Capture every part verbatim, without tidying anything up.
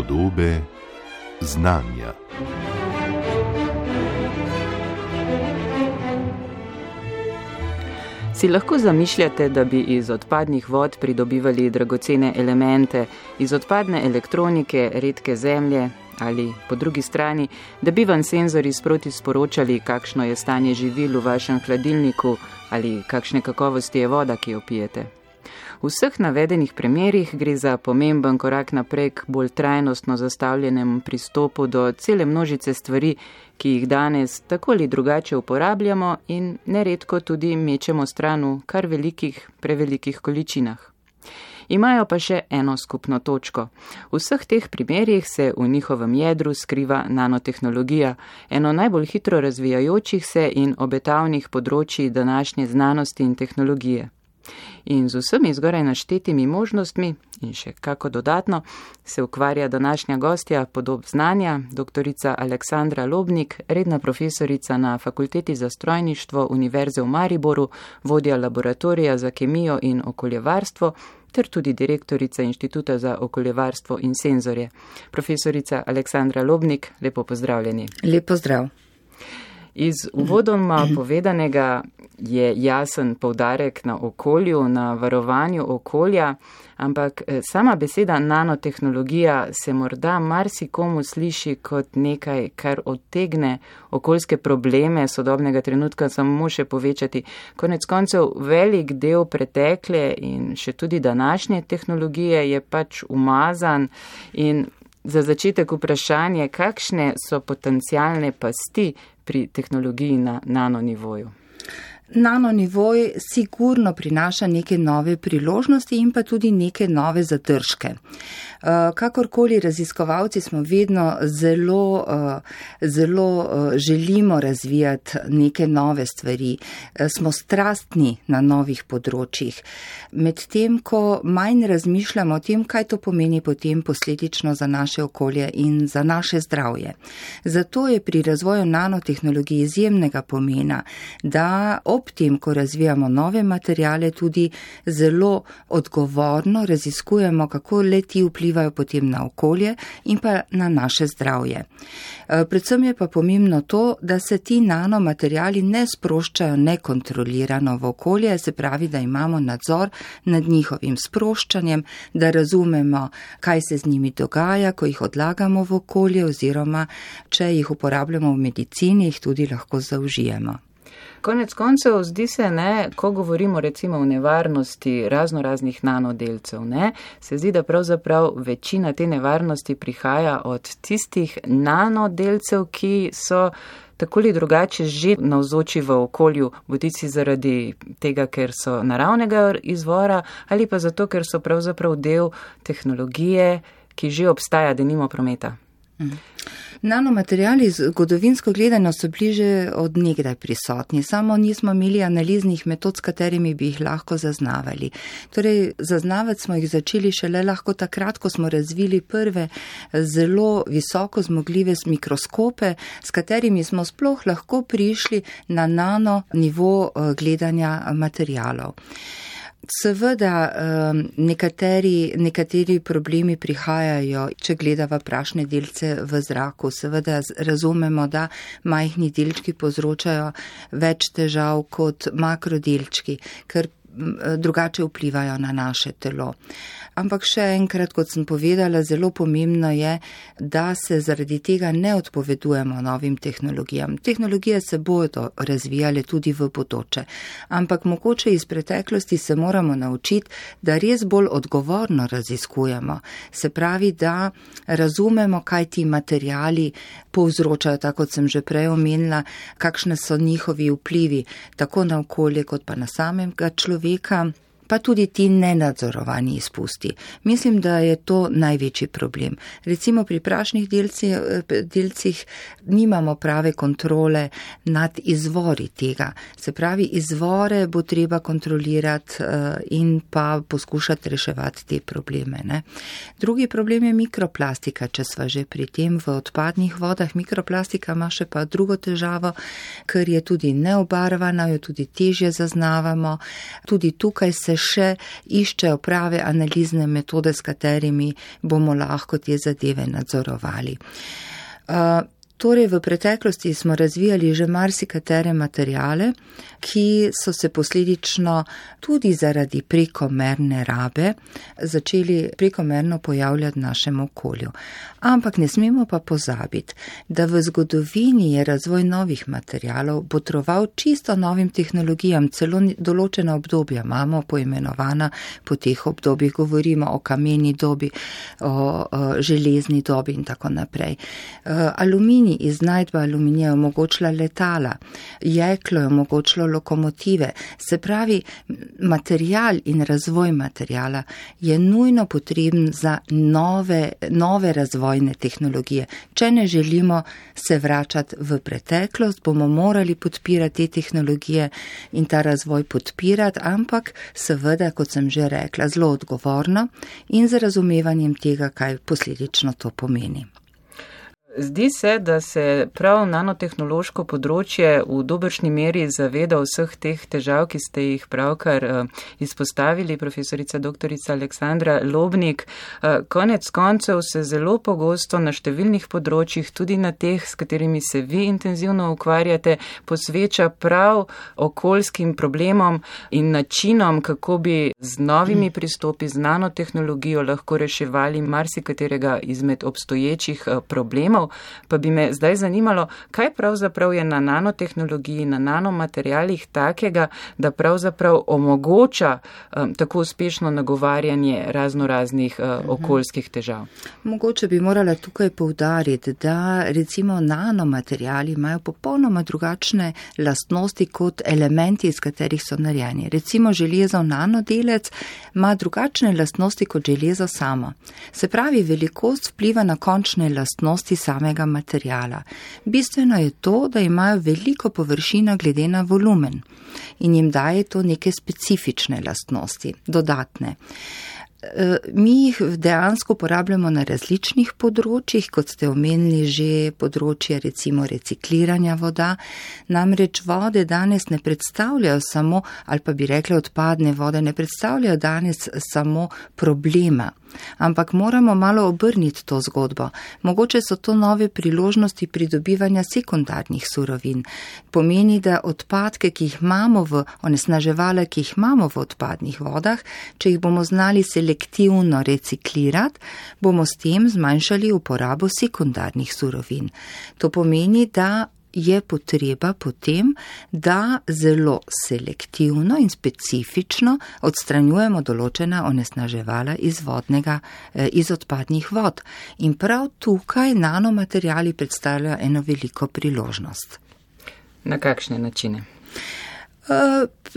Podobe znanja. Si lahko zamišljate, da bi iz odpadnih vod pridobivali dragocene elemente, iz odpadne elektronike, redke zemlje ali po drugi strani, da bi vam senzori sproti sporočali, kakšno je stanje živil v vašem hladilniku ali kakšne kakovosti je voda, ki jo pijete. V vseh navedenih primerih gre za pomemben korak naprej k bolj trajnostno zastavljenemu pristopu do cele množice stvari, ki jih danes tako ali drugače uporabljamo in neredko tudi mečemo stran v kar velikih, prevelikih količinah. Imajo pa še eno skupno točko. V vseh teh primerih se v njihovem jedru skriva nanotehnologija, eno najbolj hitro razvijajočih se in obetavnih področji današnje znanosti in tehnologije. In z vsemi zgoraj naštetimi možnostmi in še kako dodatno se ukvarja današnja gostja Podob znanja, doktorica Aleksandra Lobnik, redna profesorica na Fakulteti za strojništvo Univerze v Mariboru, vodja laboratorija za kemijo in okoljevarstvo ter tudi direktorica Inštituta za okoljevarstvo in senzorje. Profesorica Aleksandra Lobnik, lepo pozdravljeni. Lep pozdrav. Iz uvodoma povedanega je jasen poudarek na okolju, na varovanju okolja, ampak sama beseda nanotehnologija se morda marsikomu sliši kot nekaj, kar odtegne okoljske probleme sodobnega trenutka samo še povečati. Konec koncev velik del pretekle in še tudi današnje tehnologije je pač umazan in za začetek vprašanje, kakšne so potencialne pasti pri tehnologiji na nanonivoju? Nanonivoj sigurno prinaša neke nove priložnosti in pa tudi neke nove zadržke. Kakorkoli raziskovalci smo vedno zelo, zelo želimo razvijati neke nove stvari, smo strastni na novih področjih. Medtem, ko manj razmišljamo o tem, kaj to pomeni potem posledično za naše okolje in za naše zdravje. Zato je pri razvoju nanotehnologije izjemnega pomena, da ob tem, ko razvijamo nove materijale, tudi zelo odgovorno raziskujemo, kako le ti vplivajo potem na okolje in pa na naše zdravje. Predvsem je pa pomembno to, da se ti nanomaterijali ne sproščajo nekontrolirano v okolje, se pravi, da imamo nadzor nad njihovim sproščanjem, da razumemo, kaj se z njimi dogaja, ko jih odlagamo v okolje oziroma, če jih uporabljamo v medicini, jih tudi lahko zaužijemo. Konec koncev zdi se, ne, ko govorimo recimo o nevarnosti razno raznih nanodelcev, ne, se zdi, da pravzaprav večina te nevarnosti prihaja od tistih nanodelcev, ki so tako ali drugače že navzoči v okolju, bodisi zaradi tega, ker so naravnega izvora ali pa zato, ker so pravzaprav del tehnologije, ki že obstaja, denimo prometa. Mm. Nanomateriali zgodovinsko gledano so bliže od nekdaj prisotni, samo nismo imeli analiznih metod, s katerimi bi jih lahko zaznavali. Torej, zaznavati smo jih začeli šele lahko takrat, ko smo razvili prve zelo visoko zmogljive mikroskope, s katerimi smo sploh lahko prišli na nano nivo gledanja materialov. Seveda nekateri, nekateri problemi prihajajo, če gledava prašne delce v zraku. Seveda razumemo, da majhni delčki povzročajo več težav kot makrodelčki, ker drugače vplivajo na naše telo. Ampak še enkrat, kot sem povedala, zelo pomembno je, da se zaradi tega ne odpovedujemo novim tehnologijam. Tehnologije se bodo razvijale tudi v bodoče, ampak mogoče iz preteklosti se moramo naučiti, da res bolj odgovorno raziskujemo. Se pravi, da razumemo, kaj ti materijali povzročajo, tako kot sem že prej omenila, kakšne so njihovi vplivi, tako na okolje kot pa na samega človeka. pa tudi ti nenadzorovani izpusti. Mislim, da je to največji problem. Recimo pri prašnih delcih, delcih nimamo prave kontrole nad izvori tega. Se pravi, izvore bo treba kontrolirati in pa poskušati reševati te probleme. Ne? Drugi problem je mikroplastika, če sva že pri tem v odpadnih vodah. Mikroplastika ima še pa drugo težavo, ker je tudi neobarvana, jo tudi težje zaznavamo. Tudi tukaj se še iščejo prave analizne metode, s katerimi bomo lahko te zadeve nadzorovali. Uh, Torej, v preteklosti smo razvijali že marsikatere materijale, ki so se posledično tudi zaradi prekomerne rabe začeli prekomerno pojavljati v našem okolju. Ampak ne smemo pa pozabiti, da v zgodovini je razvoj novih materijalov botroval čisto novim tehnologijam, celo določena obdobja imamo poimenovana po teh obdobjih, govorimo o kameni dobi, o, o železni dobi in tako naprej. Aluminij iznajdba aluminija je omogočila letala, jeklo je omogočilo lokomotive, se pravi, material in razvoj materijala je nujno potreben za nove, nove razvojne tehnologije. Če ne želimo se vračati v preteklost, bomo morali podpirati te tehnologije in ta razvoj podpirati, ampak seveda, kot sem že rekla, zelo odgovorno in z razumevanjem tega, kaj posledično to pomeni. Zdi se, da se prav nanotehnološko področje v dobršni meri zaveda vseh teh težav, ki ste jih pravkar izpostavili, profesorica doktorica Aleksandra Lobnik. Konec koncev se zelo pogosto na številnih področjih, tudi na teh, s katerimi se vi intenzivno ukvarjate, posveča prav okoljskim problemom in načinom, kako bi z novimi pristopi, z nanotehnologijo lahko reševali marsikaterega izmed obstoječih problemov. Pa bi me zdaj zanimalo, kaj pravzaprav je na nanotehnologiji, na nanomaterialih takega, da pravzaprav omogoča um, tako uspešno nagovarjanje razno raznih uh, okoljskih težav. Mogoče bi morala tukaj poudariti, da recimo nanomateriali imajo popolnoma drugačne lastnosti kot elementi, iz katerih so narejeni. Recimo železov nanodelec ima drugačne lastnosti kot železo samo. Se pravi, velikost vpliva na končne lastnosti samega materijala. Bistveno je to, da imajo veliko površino glede na volumen in jim daje to neke specifične lastnosti, dodatne. Mi jih dejansko uporabljamo na različnih področjih, kot ste omenili že področje recimo recikliranja voda. Namreč vode danes ne predstavljajo samo, ali pa bi rekli odpadne vode, ne predstavljajo danes samo problema. Ampak moramo malo obrniti to zgodbo. Mogoče so to nove priložnosti pridobivanja sekundarnih surovin. Pomeni, da odpadke, ki jih imamo v onesnaževale, ki jih imamo v odpadnih vodah, če jih bomo znali selektivno reciklirati, bomo s tem zmanjšali uporabo sekundarnih surovin. To pomeni, da je potreba potem, da zelo selektivno in specifično odstranjujemo določena onesnaževala iz vodnega, iz odpadnih vod. In prav tukaj nanomateriali predstavljajo eno veliko priložnost. Na kakšne načine?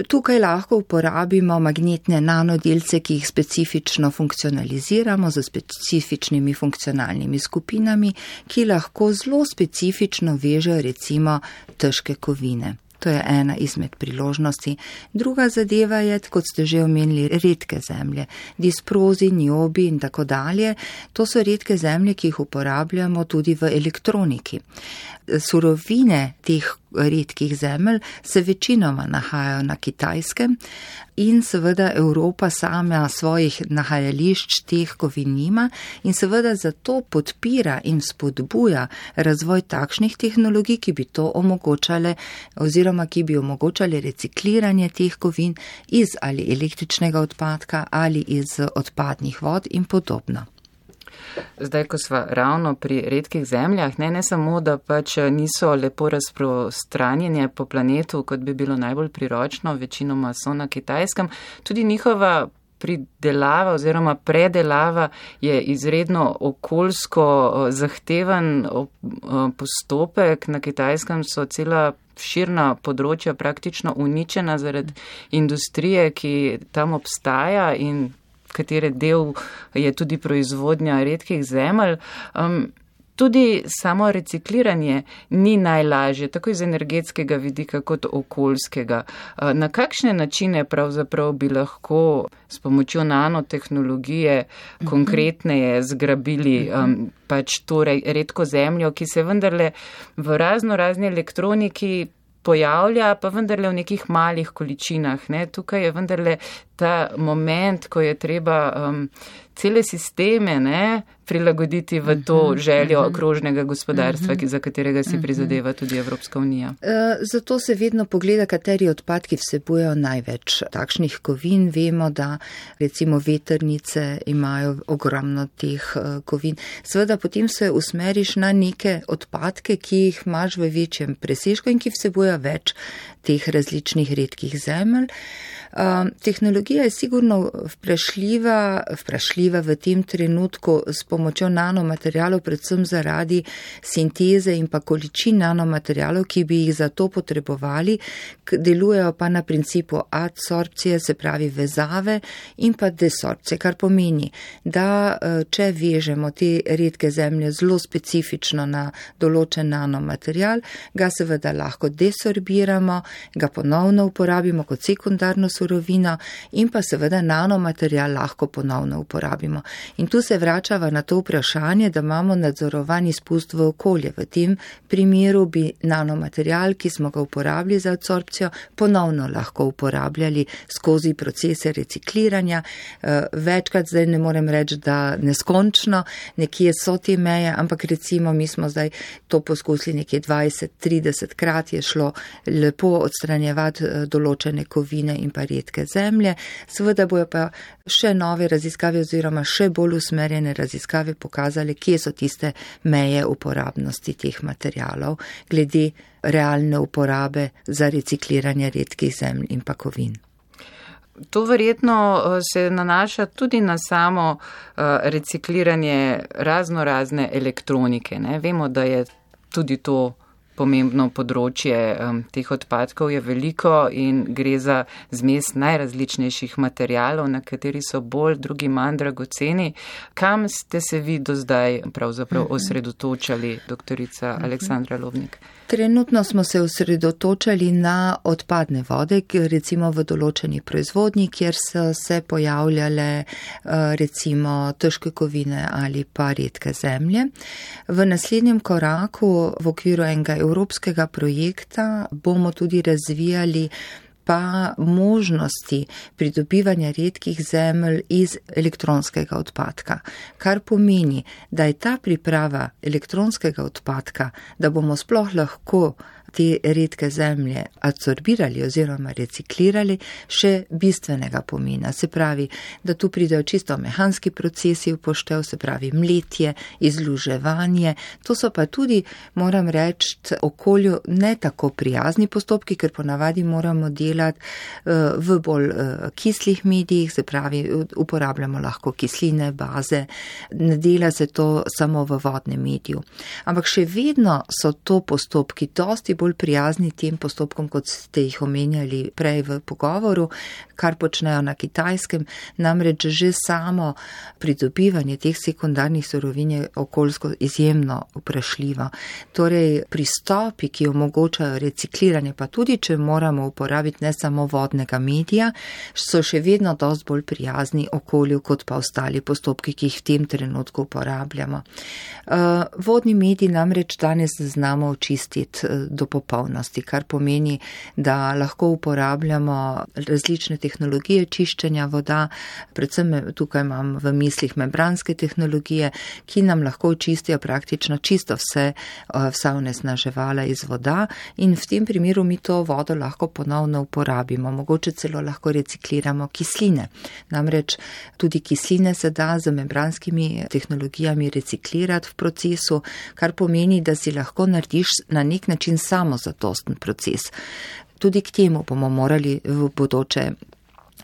Tukaj lahko uporabimo magnetne nanodelce, ki jih specifično funkcionaliziramo z specifičnimi funkcionalnimi skupinami, ki lahko zelo specifično vežejo recimo težke kovine. To je ena izmed priložnosti. Druga zadeva je, kot ste že omenili, redke zemlje, disprozi, niobi in tako dalje. To so redke zemlje, ki jih uporabljamo tudi v elektroniki. Surovine teh redkih zemelj se večinoma nahajajo na Kitajskem in seveda Evropa sama svojih nahajališč teh kovin nima in seveda zato podpira in spodbuja razvoj takšnih tehnologij, ki bi to omogočale oziroma ki bi omogočale recikliranje teh kovin iz ali električnega odpadka ali iz odpadnih vod in podobno. Zdaj, ko sva ravno pri redkih zemljah, ne, ne samo, da pač niso lepo razprostranjene po planetu, kot bi bilo najbolj priročno, večinoma so na Kitajskem, tudi njihova pridelava oziroma predelava je izredno okoljsko zahteven postopek. Na Kitajskem so cela širna področja praktično uničena zaradi industrije, ki tam obstaja in katere del je tudi proizvodnja redkih zemelj. Um, tudi samo recikliranje ni najlažje, tako iz energetskega vidika kot okoljskega. Uh, na kakšne načine pravzaprav bi lahko s pomočjo nanotehnologije uh-huh. konkretneje zgrabili um, pač to redko zemljo, ki se vendarle v razno razni elektroniki pojavlja, pa vendarle v nekih malih količinah. Ne? Tukaj je vendarle ta moment, ko je treba um, cele sisteme ne, prilagoditi v to željo krožnega gospodarstva, ki, za katerega si prizadeva tudi Evropska unija. Zato se vedno pogleda, kateri odpadki vsebujejo največ takšnih kovin. Vemo, da recimo vetrnice imajo ogromno teh kovin. Seveda potem se usmeriš na neke odpadke, ki jih imaš v večjem presežku in ki vsebujejo več teh različnih redkih zemelj. Uh, tehnologija je sigurno vprašljiva, vprašljiva v tem trenutku s pomočjo nanomaterialov, predvsem zaradi sinteze in pa količin nanomaterialov, ki bi jih za to potrebovali, delujejo pa na principu adsorpcije, se pravi vezave in pa desorpcije, kar pomeni, da če vežemo te redke zemlje zelo specifično na določen nanomaterial, ga seveda lahko desorbiramo, ga ponovno uporabimo kot sekundarno surovino in pa seveda nanomaterial lahko ponovno uporabimo. In tu se vračava na to vprašanje, da imamo nadzorovan izpust v okolje. V tem primeru bi nanomaterial, ki smo ga uporabili za adsorpcijo, ponovno lahko uporabljali skozi procese recikliranja. Večkrat zdaj ne morem reči, da neskončno, nekje so te meje, ampak recimo mi smo zdaj to poskusili nekje dvajset trideset krat, je šlo lepo odstranjevati določene kovine in pa redke zemlje. Seveda bojo pa še nove raziskave oziroma še bolj usmerjene raziskave pokazali, kje so tiste meje uporabnosti teh materialov glede realne uporabe za recikliranje redkih zemlj in pa kovin. To verjetno se nanaša tudi na samo recikliranje razno razne elektronike. Ne? Vemo, da je tudi to pomembno področje um, teh odpadkov je veliko in gre za zmes najrazličnejših materialov, na kateri so bolj, drugi manj dragoceni. Kam ste se vi do zdaj pravzaprav osredotočali, doktorica Aleksandra Lobnik? Trenutno smo se osredotočali na odpadne vode, recimo v določeni proizvodnji, kjer so se pojavljale recimo težke kovine ali pa redke zemlje. V naslednjem koraku v okviru enega evropskega projekta bomo tudi razvijali pa možnosti pridobivanja redkih zemelj iz elektronskega odpadka. Kar pomeni, da je ta priprava elektronskega odpadka, da bomo sploh lahko te redke zemlje adsorbirali oziroma reciklirali, še bistvenega pomena. Se pravi, da tu pridejo čisto mehanski procesi v poštev, se pravi mletje, izluževanje. To so pa tudi, moram reči, okolju ne tako prijazni postopki, ker ponavadi moramo delati v bolj kislih medijih, se pravi, uporabljamo lahko kisline, baze, ne dela se to samo v vodnem mediju. Ampak še vedno so to postopki dosti bolj bolj prijazni tem postopkom, kot ste jih omenjali prej v pogovoru, kar počnejo na Kitajskem, namreč že samo pridobivanje teh sekundarnih surovin je okoljsko izjemno vprašljivo. Torej, pristopi, ki omogočajo recikliranje, pa tudi, če moramo uporabiti ne samo vodnega medija, so še vedno dosti bolj prijazni okolju, kot pa ostali postopki, ki jih v tem trenutku uporabljamo. Vodni medij namreč danes znamo očistiti do popolnosti, kar pomeni, da lahko uporabljamo različne tehnologije čiščenja voda, predvsem tukaj imam v mislih membranske tehnologije, ki nam lahko očistijo praktično čisto vse, vsa onesnaževala iz voda in v tem primeru mi to vodo lahko ponovno uporabimo, mogoče celo lahko recikliramo kisline. Namreč tudi kisline se da z membranskimi tehnologijami reciklirati v procesu, kar pomeni, da si lahko narediš na nek način samozadosten proces. Tudi k temu bomo morali v bodoče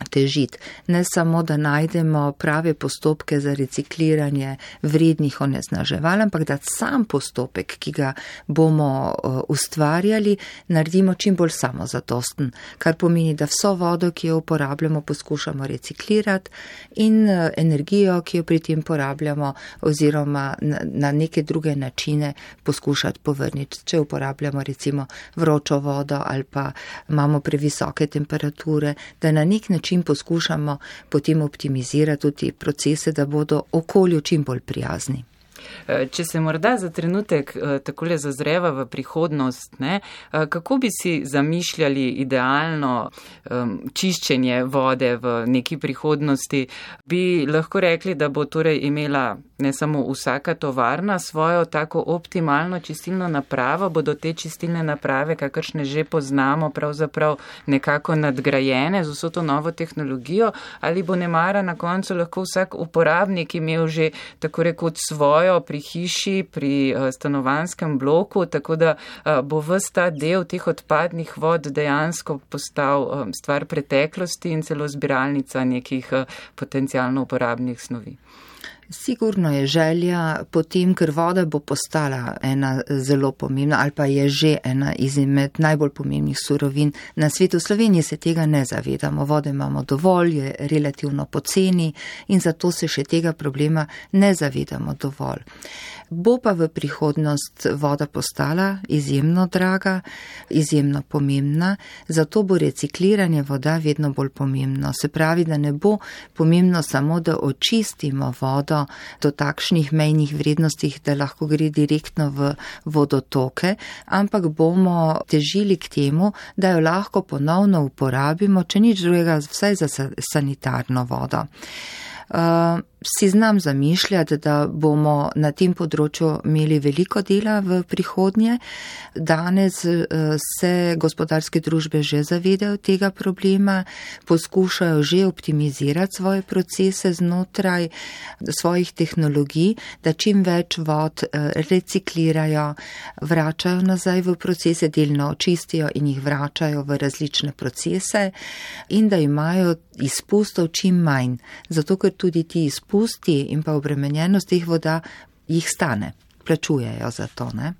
težiti. Ne samo, da najdemo prave postopke za recikliranje vrednih onesnaževal, ampak da sam postopek, ki ga bomo ustvarjali, naredimo čim bolj samozadosten, kar pomeni, da vso vodo, ki jo uporabljamo, poskušamo reciklirati in energijo, ki jo pri tem porabljamo oziroma na neke druge načine poskušati povrniti. Če uporabljamo recimo vročo vodo ali pa imamo previsoke temperature, da na nek način poskušamo potem optimizirati tudi procese, da bodo okolju čim bolj prijazni. Če se morda za trenutek takole zazreva v prihodnost, ne, kako bi si zamišljali idealno um, čiščenje vode v neki prihodnosti? Bi lahko rekli, da bo torej imela ne samo vsaka tovarna svojo tako optimalno čistilno napravo, bodo te čistilne naprave, kakršne že poznamo, pravzaprav nekako nadgrajene z vso to novo tehnologijo, ali bo nemara na koncu lahko vsak uporabnik imel že tako rekoč svojo pri hiši, pri stanovanjskem bloku, tako da bo ves ta del teh odpadnih vod dejansko postal stvar preteklosti in celo zbiralnica nekih potencialno uporabnih snovi. Sigurno je želja potem, ker voda bo postala ena zelo pomembna ali pa je že ena izmed najbolj pomembnih surovin na svetu. V Sloveniji se tega ne zavedamo. Vode imamo dovolj, je relativno poceni in zato se še tega problema ne zavedamo dovolj. Bo pa v prihodnost voda postala izjemno draga, izjemno pomembna, zato bo recikliranje voda vedno bolj pomembno. Se pravi, da ne bo pomembno samo, da očistimo vodo do takšnih mejnih vrednostih, da lahko gre direktno v vodotoke, ampak bomo težili k temu, da jo lahko ponovno uporabimo, če nič drugega, vsaj za sanitarno vodo. Uh, si znam zamišljati, da bomo na tem področju imeli veliko dela v prihodnje. Danes uh, se gospodarske družbe že zavedajo tega problema, poskušajo že optimizirati svoje procese znotraj svojih tehnologij, da čim več vod uh, reciklirajo, vračajo nazaj v procese, delno očistijo in jih vračajo v različne procese in da imajo izpustov čim manj, zato ker tudi ti izpusti in pa obremenjenost teh voda jih stane, plačujejo za to, ne?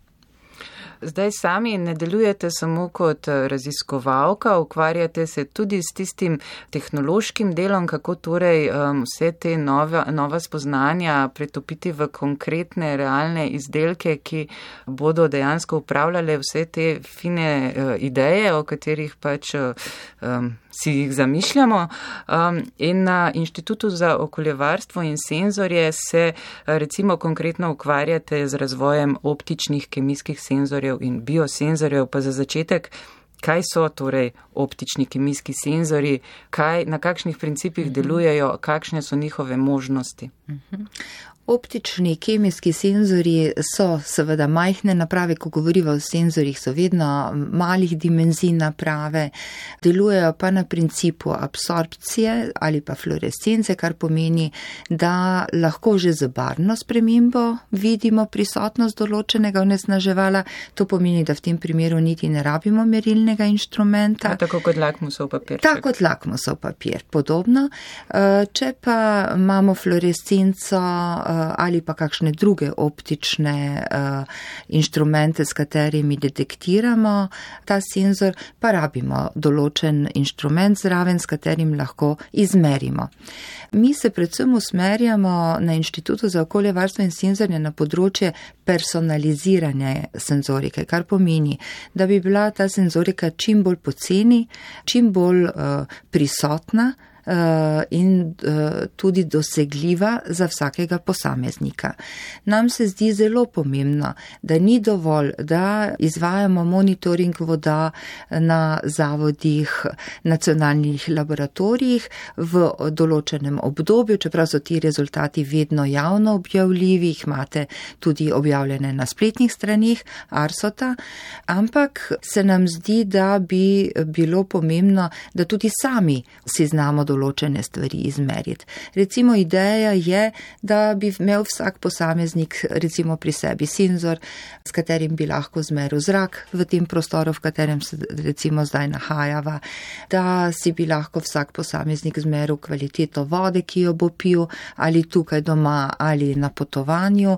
Zdaj sami ne delujete samo kot raziskovalka, ukvarjate se tudi s tistim tehnološkim delom, kako torej um, vse te nove, nova spoznanja pretopiti v konkretne, realne izdelke, ki bodo dejansko upravljale vse te fine uh, ideje, o katerih pač um, si jih zamišljamo. Um, in na Inštitutu za okoljevarstvo in senzorje se recimo konkretno ukvarjate z razvojem optičnih kemijskih senzorjev in biosenzorjev. Pa za začetek, kaj so torej optični kemijski senzorji, kaj, na kakšnih principih delujejo, kakšne so njihove možnosti? Uh-huh. Optični kemijski senzorji so seveda majhne naprave, ko govorimo o senzorjih, so vedno malih dimenzij naprave, delujejo pa na principu absorpcije ali pa fluorescence, kar pomeni, da lahko že z barvno spremembo vidimo prisotnost določenega onesnaževala. To pomeni, da v tem primeru niti ne rabimo merilnega inštrumenta. A, tako kot lakmusov papir. Tako kot lakmusov papir, podobno. Če pa imamo fluorescenco ali pa kakšne druge optične uh, inštrumente, s katerimi detektiramo ta senzor, pa rabimo določen inštrument zraven, s katerim lahko izmerimo. Mi se predvsem usmerjamo na Inštitutu za okoljevarstvo in senzorje na področje personaliziranja senzorike, kar pomeni, da bi bila ta senzorika čim bolj poceni, čim bolj uh, prisotna, in tudi dosegljiva za vsakega posameznika. Nam se zdi zelo pomembno, da ni dovolj, da izvajamo monitoring voda na zavodih, nacionalnih laboratorijih v določenem obdobju, čeprav so ti rezultati vedno javno objavljivi, jih imate tudi objavljene na spletnih straneh Arsota, ampak se nam zdi, da bi bilo pomembno, da tudi sami si znamo določene stvari izmeriti. Recimo ideja je, da bi imel vsak posameznik recimo pri sebi senzor, s katerim bi lahko zmeril zrak v tem prostoru, v katerem se recimo zdaj nahajava, da si bi lahko vsak posameznik zmeril kvaliteto vode, ki jo bo pil, ali tukaj doma, ali na potovanju.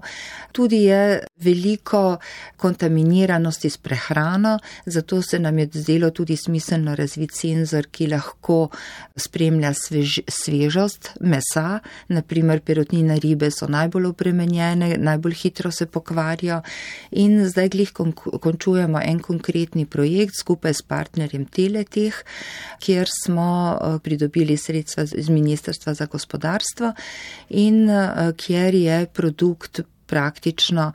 Tudi je veliko kontaminiranosti s prehrano, zato se nam je zdelo tudi smiselno razviti senzor, ki lahko spremlja svež, svežost mesa, naprimer perutnine ribe so najbolj obremenjene, najbolj hitro se pokvarijo in zdaj glih kon, končujemo en konkretni projekt skupaj s partnerjem Teleteh, kjer smo pridobili sredstva iz Ministrstva za gospodarstvo in kjer je produkt praktično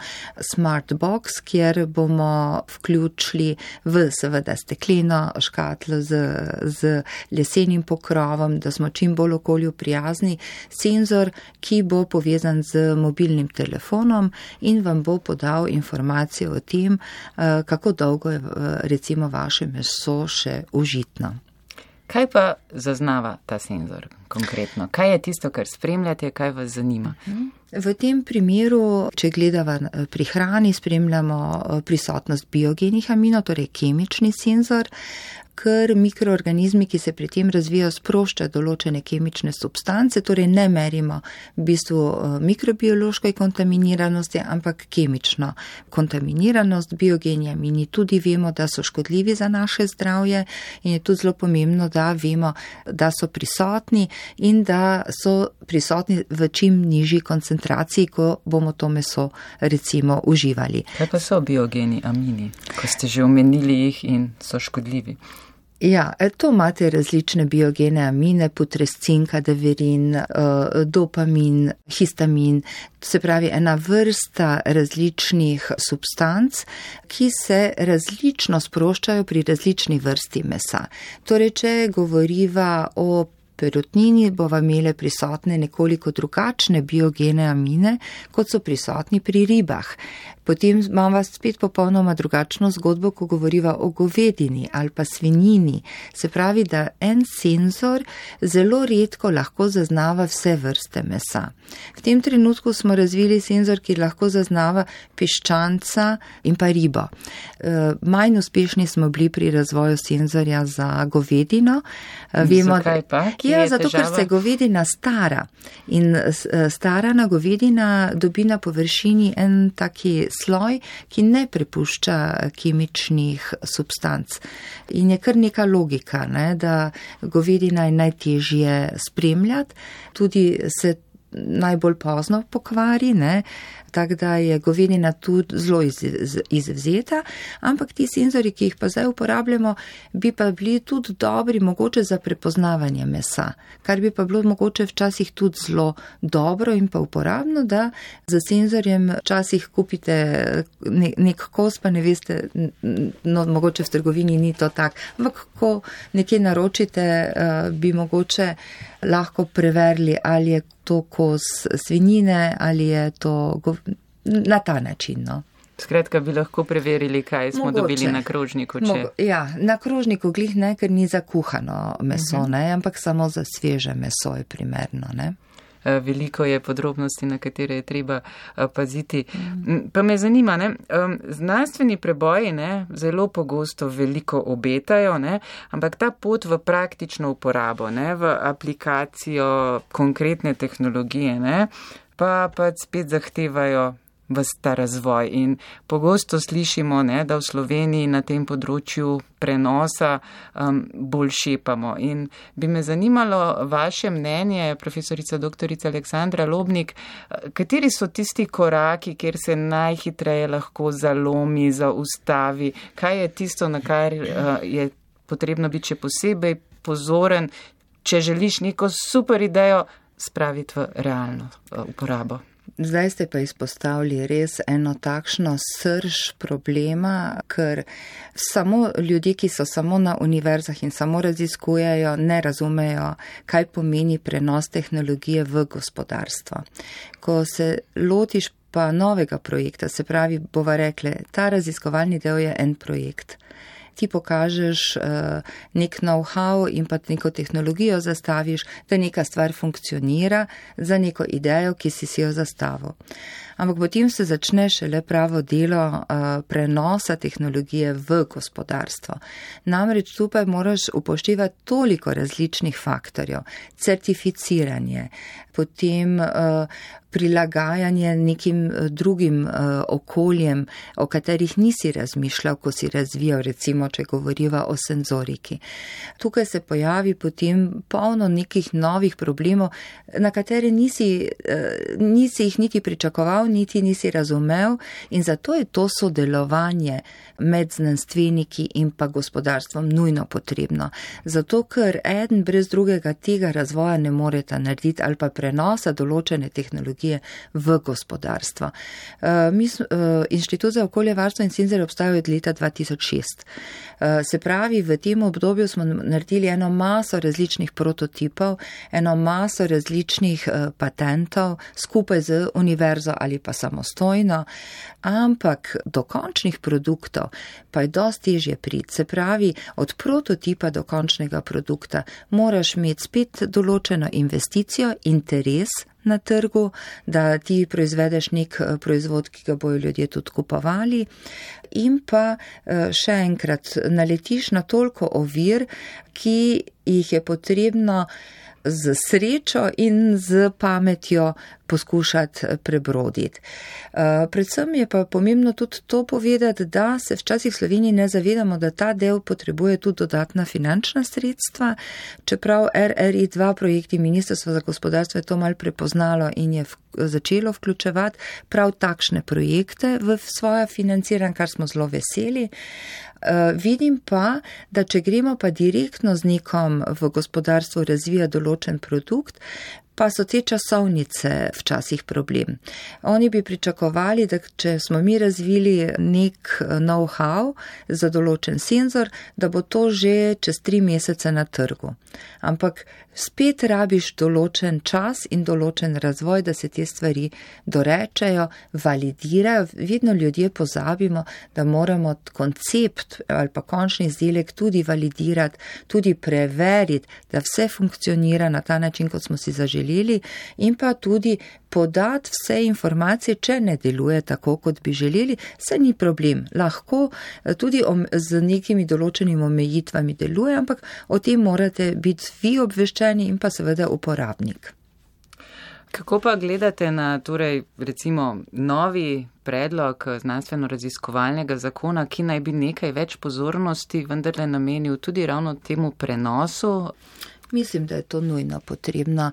smart box, kjer bomo vključili v seveda stekleno škatlo z, z lesenim pokrovom, da smo čim bolj okolju prijazni, senzor, ki bo povezan z mobilnim telefonom in vam bo podal informacijo o tem, kako dolgo je recimo vaše meso še užitno. Kaj pa zaznava ta senzor konkretno? Kaj je tisto, kar spremljate, kaj vas zanima? V tem primeru, če gledava pri hrani, spremljamo prisotnost biogenih aminov, torej kemični senzor, ker mikroorganizmi, ki se pri tem razvijajo, sproščajo določene kemične substance, torej ne merimo v bistvu mikrobiološke kontaminiranosti, ampak kemično kontaminiranost. Biogeni amini tudi vemo, da so škodljivi za naše zdravje in je tudi zelo pomembno, da vemo, da so prisotni in da so prisotni v čim nižji koncentraciji, ko bomo to meso recimo uživali. Kaj pa so biogeni amini, ko ste že omenili jih in so škodljivi? Ja, to imate različne biogene amine, putrescin, kadaverin, dopamin, histamin, se pravi ena vrsta različnih substanc, ki se različno sproščajo pri različni vrsti mesa. Torej, če govoriva o perutnini, bova imele prisotne nekoliko drugačne biogene amine, kot so prisotni pri ribah. Potem imamo spet popolnoma drugačno zgodbo, ko govoriva o govedini ali pa svinjini. Se pravi, da en senzor zelo redko lahko zaznava vse vrste mesa. V tem trenutku smo razvili senzor, ki lahko zaznava piščanca in pa ribo. Manj uspešni smo bili pri razvoju senzorja za govedino. Vemo, zakaj pa? Ja, zato, ker se govedina stara. In starana govedina dobi na površini en taki sloj, ki ne prepušča kemičnih substanc. In je kar neka logika, ne, da govedina je najtežje spremljati, tudi se najbolj pozno pokvari, ne, tako da je govedina tudi zelo iz, iz, izvzeta, ampak ti senzori, ki jih pa zdaj uporabljamo, bi pa bili tudi dobri mogoče za prepoznavanje mesa, kar bi pa bilo mogoče včasih tudi zelo dobro in pa uporabno, da za senzorjem včasih kupite ne, nek kos, pa ne veste, no mogoče v trgovini ni to tak, ampak ko nekje naročite, bi mogoče lahko preverili, ali je to kos svinjine, ali je to gov... na ta način. No. Skratka, bi lahko preverili, kaj smo mogoče dobili na krožniku. Če... Mogo... Ja, na krožniku glih ne, ker ni za kuhano meso, uh-huh. ne, ampak samo za sveže meso je primerno. Ne. Veliko je podrobnosti, na katere je treba paziti. Pa me zanima, ne, znanstveni preboji ne, zelo pogosto veliko obetajo, ne, ampak ta pot v praktično uporabo, ne, v aplikacijo konkretne tehnologije, ne, pa pa spet zahtevajo ves ta razvoj. In pogosto slišimo, ne, da v Sloveniji na tem področju prenosa um, bolj šepamo. In bi me zanimalo vaše mnenje, profesorica doktorica Aleksandra Lobnik, kateri so tisti koraki, kjer se najhitreje lahko zalomi, zaustavi, kaj je tisto, na kar uh, je potrebno biti še posebej pozoren, če želiš neko super idejo spraviti v realno uh, uporabo. Zdaj ste pa izpostavili res eno takšno srž problema, ker samo ljudje, ki so samo na univerzah in samo raziskujejo, ne razumejo, kaj pomeni prenos tehnologije v gospodarstvo. Ko se lotiš pa novega projekta, se pravi, bova rekle, ta raziskovalni del je en projekt. Ti pokažeš uh, nek know-how in pa neko tehnologijo zastaviš, da neka stvar funkcionira za neko idejo, ki si si jo zastavil. Ampak potem se začne šele pravo delo uh, prenosa tehnologije v gospodarstvo. Namreč tukaj moraš upoštevati toliko različnih faktorjev, certificiranje, potem uh, prilagajanje nekim drugim uh, okoljem, o katerih nisi razmišljal, ko si razvijal, recimo, če govoriva o senzoriki. Tukaj se pojavi potem polno nekih novih problemov, na katere nisi, uh, nisi jih niti pričakoval, prebral, niti nisi razumel in zato je to sodelovanje med znanstveniki in pa gospodarstvom nujno potrebno. Zato, ker eden brez drugega tega razvoja ne moreta narediti ali pa prenosa določene tehnologije v gospodarstvo. Mi, Inštitut za okoljevarstvo in senzorje obstaja od leta dva tisoč šest. Se pravi, v tem obdobju smo naredili eno maso različnih prototipov, eno maso različnih patentov skupaj z univerzo ali pa samostojno, ampak do končnih produktov pa je dosti težje priti. Se pravi, od prototipa do končnega produkta moraš imeti spet določeno investicijo, interes na trgu, da ti proizvedeš nek proizvod, ki ga bojo ljudje tudi kupovali in pa še enkrat naletiš na toliko ovir, ki jih je potrebno z srečo in z pametjo poskušati prebroditi. Predvsem je pa pomembno tudi to povedati, da se včasih v Sloveniji ne zavedamo, da ta del potrebuje tudi dodatna finančna sredstva, čeprav R R I dva projekti Ministrstva za gospodarstvo je to malo prepoznalo in je začelo vključevati prav takšne projekte v svoja financiranja, kar smo zelo veseli. Uh, vidim pa, da če gremo pa direktno z nekom v gospodarstvu razvija določen produkt, pa so te časovnice včasih problem. Oni bi pričakovali, da če smo mi razvili nek know-how za določen senzor, da bo to že čez tri mesece na trgu. Ampak spet rabiš določen čas in določen razvoj, da se te stvari dorečejo, validirajo. Vedno ljudje pozabimo, da moramo koncept ali pa končni izdelek tudi validirati, tudi preveriti, da vse funkcionira na ta način, kot smo si zaželeli in pa tudi podati vse informacije, če ne deluje tako, kot bi želeli, se ni problem. Lahko tudi z nekimi določenimi omejitvami deluje, ampak o tem morate biti vi obveščeni in pa seveda uporabnik. Kako pa gledate na torej recimo novi predlog znanstveno-raziskovalnega zakona, ki naj bi nekaj več pozornosti vendarle namenil tudi ravno temu prenosu? Mislim, da je to nujno potrebno.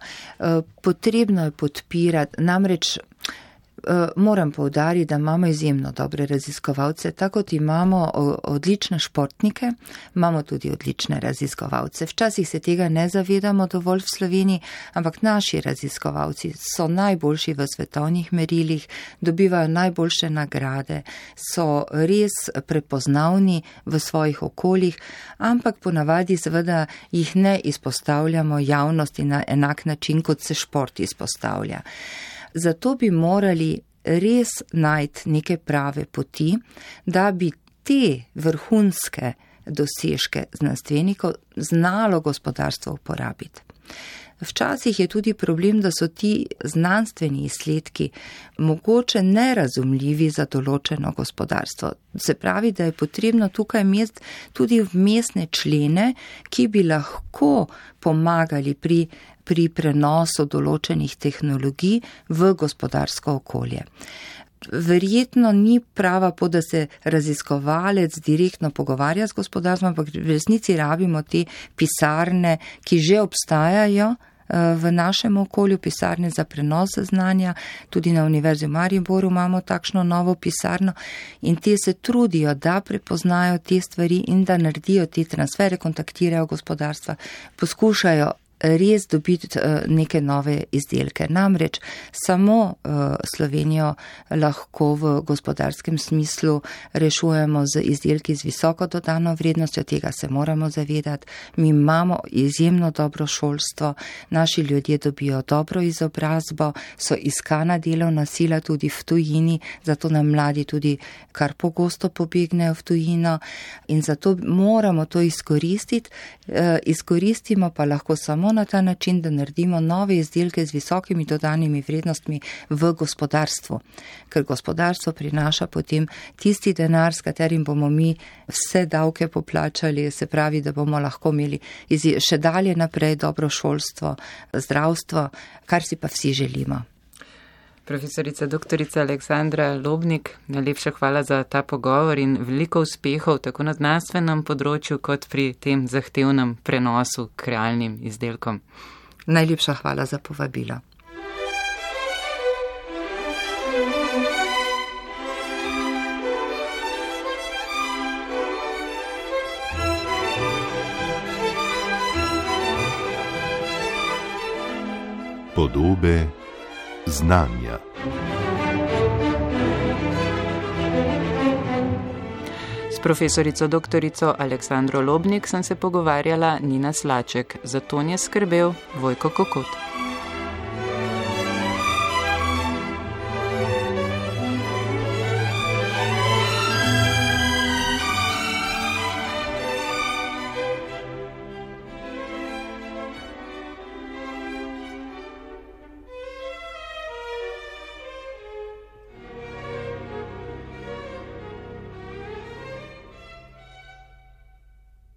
Potrebno je podpirati, namreč moram poudariti, da imamo izjemno dobre raziskovalce, tako kot imamo odlične športnike, imamo tudi odlične raziskovalce. Včasih se tega ne zavedamo dovolj v Sloveniji, ampak naši raziskovalci so najboljši v svetovnih merilih, dobivajo najboljše nagrade, so res prepoznavni v svojih okoljih, ampak ponavadi seveda jih ne izpostavljamo javnosti na enak način, kot se šport izpostavlja. Zato bi morali res najti neke prave poti, da bi te vrhunske dosežke znanstvenikov znalo gospodarstvo uporabiti. Včasih je tudi problem, da so ti znanstveni izsledki mogoče nerazumljivi za določeno gospodarstvo. Se pravi, da je potrebno tukaj imeti tudi vmesne člene, ki bi lahko pomagali pri pri prenosu določenih tehnologij v gospodarsko okolje. Verjetno ni prava pot, da se raziskovalec direktno pogovarja z gospodarstvom, ampak v resnici rabimo te pisarne, ki že obstajajo v našem okolju, pisarne za prenos znanja. Tudi na Univerzi v Mariboru imamo takšno novo pisarno in te se trudijo, da prepoznajo te stvari in da naredijo te transfere, kontaktirajo gospodarstva, poskušajo res dobiti neke nove izdelke. Namreč samo Slovenijo lahko v gospodarskem smislu rešujemo z izdelki z visoko dodano vrednostjo, tega se moramo zavedati. Mi imamo izjemno dobro šolstvo, naši ljudje dobijo dobro izobrazbo, so iskana delovna sila tudi v tujini, zato nam mladi tudi kar pogosto pobegnejo v tujino in zato moramo to izkoristiti. Izkoristimo pa lahko samo na ta način, da naredimo nove izdelke z visokimi dodanimi vrednostmi v gospodarstvu, ker gospodarstvo prinaša potem tisti denar, s katerim bomo mi vse davke poplačali, se pravi, da bomo lahko imeli še dalje naprej dobro šolstvo, zdravstvo, kar si pa vsi želimo. Profesorica doktorica Aleksandra Lobnik, najlepša hvala za ta pogovor in veliko uspehov tako na znanstvenem področju kot pri tem zahtevnem prenosu k realnim izdelkom. Najlepša hvala za povabilo. Podobe znanja. S profesorico doktorico Aleksandro Lobnik sem se pogovarjala Nina Slaček, za ton je skrbel Vojko Kokot.